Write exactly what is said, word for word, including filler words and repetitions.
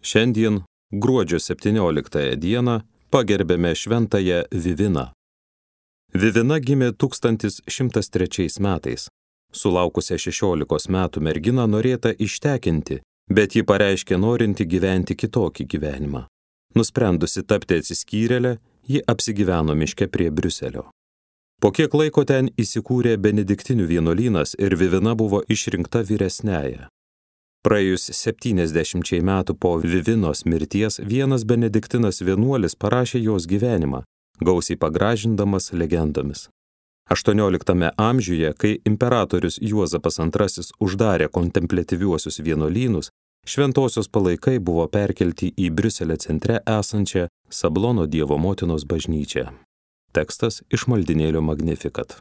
Šiandien, gruodžio septynioliktąją dieną, pagerbėme šventąją Viviną. Vivina gimė tūkstantis šimtas trečiais metais. Sulaukusią šešiolikos metų merginą norėta ištekinti, bet ji pareiškė norinti gyventi kitokį gyvenimą. Nusprendusi tapti atsiskyrėlę, ji apsigyveno miške prie Briuselio. Po kiek laiko ten įsikūrė benediktinių vienuolynas ir Vivina buvo išrinkta vyresniąja. Praėjus septyniasdešimčiai metų po Vivinos mirties vienas benediktinas vienuolis parašė jos gyvenimą, gausiai pagražindamas legendomis. aštuonioliktame amžiuje, kai imperatorius Juozapas antrasis uždarė kontempliatyviuosius vienuolynus, šventosios palaikai buvo perkelti į Briuselio centre esančią Sablono Dievo motinos bažnyčią. Tekstas iš maldynėlio Magnificat.